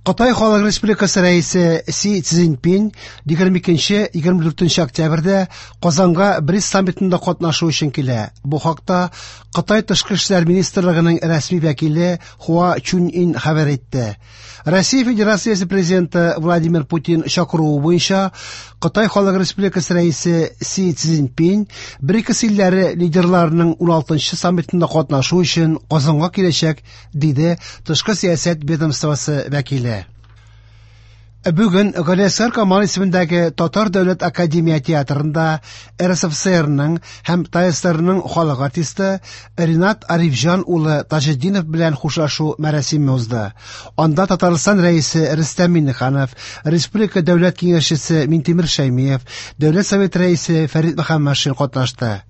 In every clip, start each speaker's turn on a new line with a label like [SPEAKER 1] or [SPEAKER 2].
[SPEAKER 1] Кытай Халык Республикасы Рәисе Си Цзиньпин 22-24 октябрьдә Казанга БРИКС саммитында катнашу өчен килә. Бу хакта Кытай тышкы эшләр министрлыгының рәсми вәкиле Хуа Чуньин хәбәр итте. Россия Федерациясе президенты Владимир Путин чакыруы буенча Кытай Халык Республикасы Рәисе Си Цзиньпин БРИКС илләре лидерларының 16-нчы саммитында катнашу өчен Казанга киләчәк, диде тышкы сәясәт ведомствосы вәкиле. Бүген Галиәсгар Камал исемендәге Татар дәүләт академия театрында РСФСРның һәм ТАССРның халык артисты Ринат Арифҗан улы Таҗетдинов белән хушлашу мәрасиме узды. Анда Татарстан Рәисе Рөстәм Миңнеханов, Республика Дәүләт Киңәшчесе Минтимер Шәймиев, Дәүләт Советы Рәисе Фәрит Мөхәммәтшин катнашты.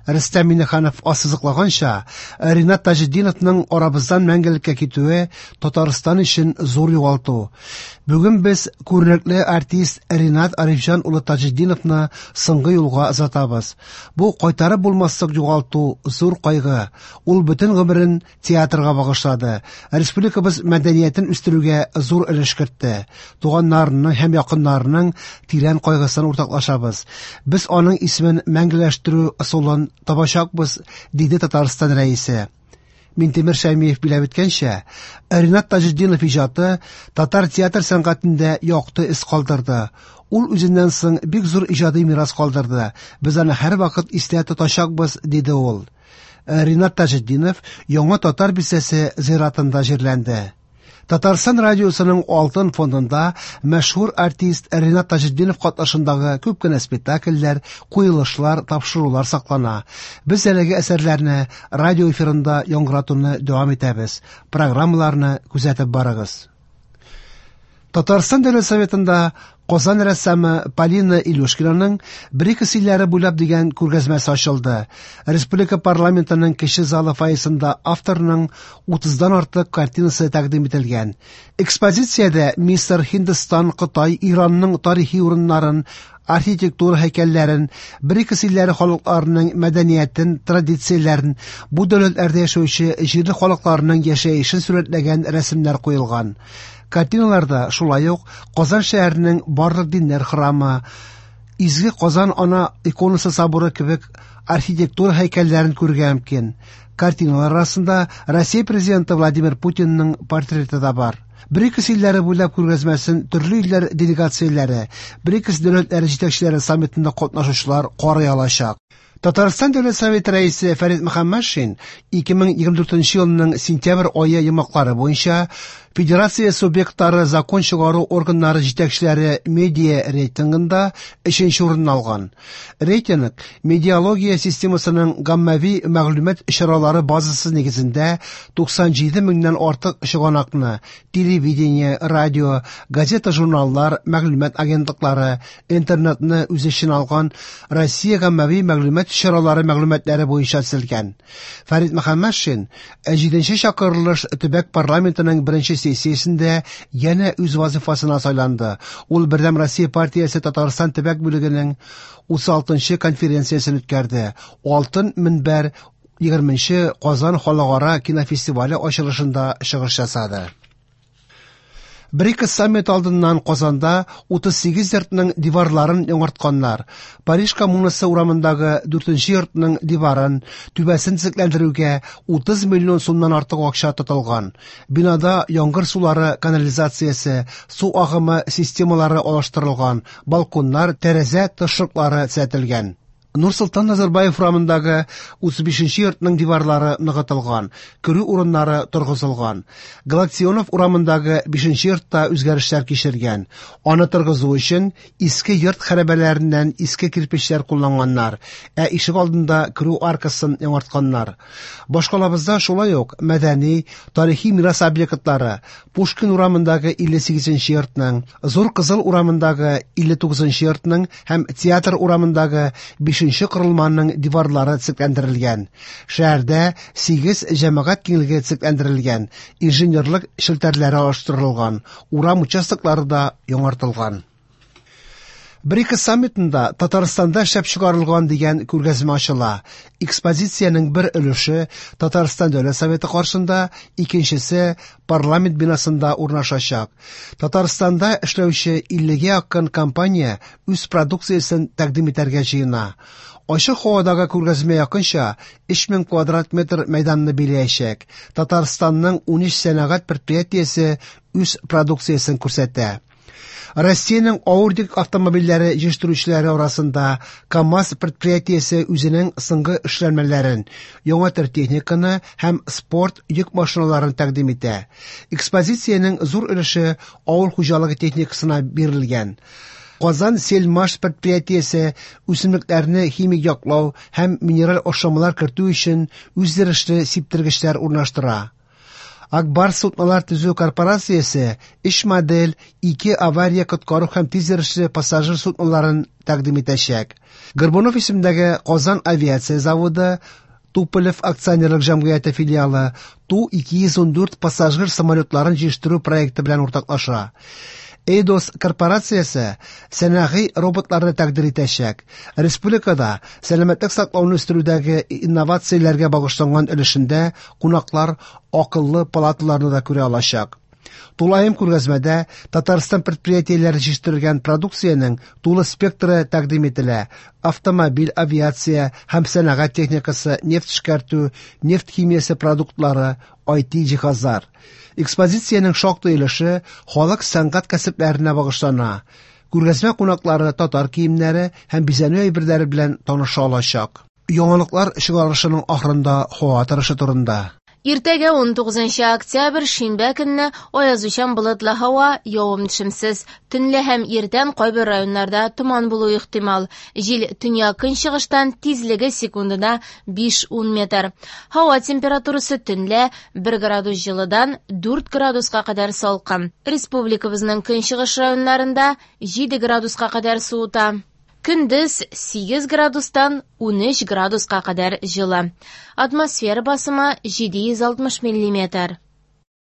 [SPEAKER 1] Рөстәм Миңнеханов ассызыклаганча, Ринат Таҗетдиновның арабыздан мәңгелеккә китүе Татарстан өчен зур югалту. Бүген без күренекле артист Ринат Арифҗан улы Таҗетдиновны соңгы юлга озатабыз. Бу кайтарып булмаслык югалту, зур кайгы. Ул бөтен гомерен театрга багышлады. Республикабыз мәдәниятен үстерүгә зур өлеш кертте. Туганнарының һәм якыннарының тирән кайгысын уртаклашабыз. Без аның исемен мәңгеләштерү ысулын табачакбыз, диде Татарстан Рәисе. Минтимер Шәймиев биләп үткәнчә, Ринат Таҗетдинов иҗаты татар театр сәнгатендә якты эз калдырды. Ул үзеннән соң бик зур иҗади мирас калдырды. Без аны һәрвакыт истә тотачакбыз, диде ул. Ринат Таҗетдинов Яңа Татар бистәсе зиратында җирләнде. Татарстан радиосының Алтын фондында мәшһүр артист Ринат Таҗетдинов катнашындагы күп кенә спектакльләр, куелышлар, тапшырулар саклана. Без әлеге әсәрләрне радио эфирында яңгыратуны дәвам итәбез. Программаларны күзәтеп барыгыз. Татарстан Дәүләт Советында Казан рәссамы Полина Илюшкинаның БРИКС илләре буйлап дигән күргәзмәсе ачылды. Республика парламентының кече залы фойесында авторның 30-дан артык картинасы тәкъдим ителгән. Экспозициядә Мисыр, Һиндстан, Кытай, Иранның тарихи урыннарын, архитектура һәйкәлләрен, БРИКС илләре халыкларының мәдәниятен, традицияләрен, бу дәүләтләрдә яшәүче җирле халыкларның яшәешен сурәтләгән рәсемнәр куелган. Картиналарда шулай ук Казан шәһәренең барлык диннәр храмы, Изге Казан Ана иконасы соборы кебек архитектура һәйкәлләрен күрергә мөмкин. Картиналар арасында Россия президенты Владимир Путинның портреты да бар. БРИКС илләре буйлап күргәзмәсен төрле илләр делегацияләре, БРИКС дәүләтләре җитәкчеләре саммитында катнашучылар карый алачак. Татарстан Дәүләт Советы Рәисе Фәрит Мөхәммәтшин 2024 елның сентябрь ае йомгаклары буенча Федерация субъектлары закон чыгару органнары җитәкчеләре медиа рейтингында өченче урынны алган. Рейтинг медиалогия системасының гаммәви мәгълүмат чаралары базасы нигезендә 97 меңнән артык чыганакны телевидение, радио, газета-журналлар, мәгълүмат агентлыклары, интернетны үз эченә алган Россия гаммәви мәгълүмат чаралары мәгълүматлары буенча төзелгән. Фәрит Мөхәммәтшин 7нче чакырылыш төбәк парламентының беренче сессиясендә янә үз вазифасына сайланды. Ул Бердәм Россия партиясе Татарстан төбәк бүлегенең 36нчы конференциясен үткәрде. Алтын мөнбәр 20нче Казан халыкара кинофестивале ачылышында чыгыш ясады. БРИКС саммит алдыннан Казанда 38 йортның диварларын яңартканнар. Париж коммунасы урамындагы 4нче йортның диварын, түбәсен төзекләндерүгә 30 миллион сумнан артык акча тотылган. Бинада яңгыр сулары канализациясе, су агымы системалары алыштырылган, балконнар, тәрәзә тышлыклары төзәтелгән. Нурсолтан Назарбаев урамындагы 35нче йортның диварлары ныгытылган, керү урыннары торгызылган. Галактионов урамындагы 5нче йортта үзгәрешләр кичергән. Аны торгызу өчен иске йорт хәрабәләреннән иске кирпечләр кулланганнар, ә ишек алдында керү аркасын яңартканнар. Башкалабызда шулай ук мәдәни, тарихи мирас объектлары Пушкин урамындагы 58нче йортның, Зур Кызыл урамындагы 59нчы йортның һәм Театр урамындагы 5нче корылманың диварлары төзекләндерелгән. Шәһәрдә 8 җәмәгать киңлеге төзекләндерелгән, инженерлык челтәрләре алыштырылган, урам участоклары да яңартылган. БРИКС саммитында Татарстанда эшләп чыгарылган дигән күргәзмә ачыла. Экспозициянең бер өлеше Татарстан Дәүләт Советы каршында, икенчесе парламент бинасында урнашачак. Татарстанда эшләүче 50гә якын компания үз продукциясен тәкъдим итәргә җыена. Ачык һавадагы күргәзмә якынча 3000 квадрат метр мәйданны биләячәк. Татарстанның 13 сәнәгать предприятиесе үз продукциясен күрсәтә. Россиянең авыр йөк автомобильләре җитештерүчеләре арасында КАМАЗ предприятиесе үзенең соңгы эшләнмәләрен, яңа төр техниканы һәм спорт йөк машиналарын тәкъдим итә. Экспозициянең зур өлеше авыл хуҗалыгы техникасына бирелгән. Казан Сельмаш предприятиесе үсемлекләрне химик яклау һәм минераль ашламалар кертү өчен үзйөрешле сиптергечләр урнаштыра. Ак Барс суднолар төзү корпорациясе өч модель, ике авария коткару һәм тизйөрешле пассажир судноларын тәкъдим итәчәк. Горбунов исемендәге Казан авиация заводы Туполев акционерлык җәмгыяте филиалы Ту-214 пассажир самолетларын җитештерү проекты белән уртаклаша. Эйдос корпорациясе сәнәгый роботларны тәкъдир итәчәк. Республикада сәламәтлек саклауны үстерүдәге инновацияләргә багышланган өлешендә кунаклар акыллы палаталарны да күрә алачак. Тулаем күргәзмәдә Татарстан предприятиеләре җитештергән продукциянең тулы спектры тәкъдим ителә: автомобиль, авиация һәм сәнәгать техникасы, нефть эшкәртү, нефть химиясе продуктлары, IT җиһазлар. Экспозициянең шактый өлеше халык сәнгать кәсепләренә багышлана. Күргәзмә кунаклары татар киемнәре һәм бизәнү әйберләре белән таныша алачак. Яңалыклар чыгарылышының ахырында һава торышы турында.
[SPEAKER 2] Иртәгә 19 октябрь шимбә көнне аязучан болытлы һава, явым-төшемсез. Төнлә һәм иртән кайбер районнарда томан булуы ихтимал. Җил төньяк-көнчыгыштан, тизлеге секундына 5-10 метр. Һава температурасы төнлә 1 градус җылыдан 4 градуска кадәр салкын. Республикабызның көнчыгыш районнарында 7 градуска кадәр суыта. Көндез 8 градустан 13 градуска кадәр җылы. Атмосфера басымы 760 миллиметр.